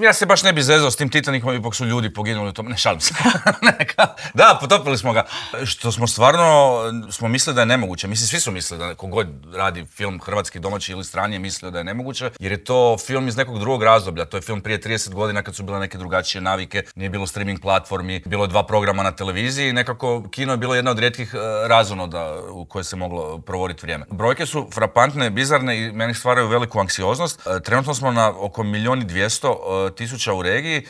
Ja se baš ne bi zezao s tim Titanikom, ipak su ljudi poginuli u tom, ne šalim se. Da, potopili smo ga. Što smo mislili da je nemoguće. Mislim, svi su mislili da kogod radi film hrvatski, domaći ili strani je mislio da je nemoguće, jer je to film iz nekog drugog razdoblja. To je film prije 30 godina kad su bile neke drugačije navike, nije bilo streaming platformi, bilo je 2 programa na televiziji i nekako kino je bilo jedna od rijetkih razonoda u koje se moglo provoditi vrijeme. Brojke su frapantne, bizarne i meni stvaraju veliku anksioznost. Trenutno smo na oko 1.200.000 u regiji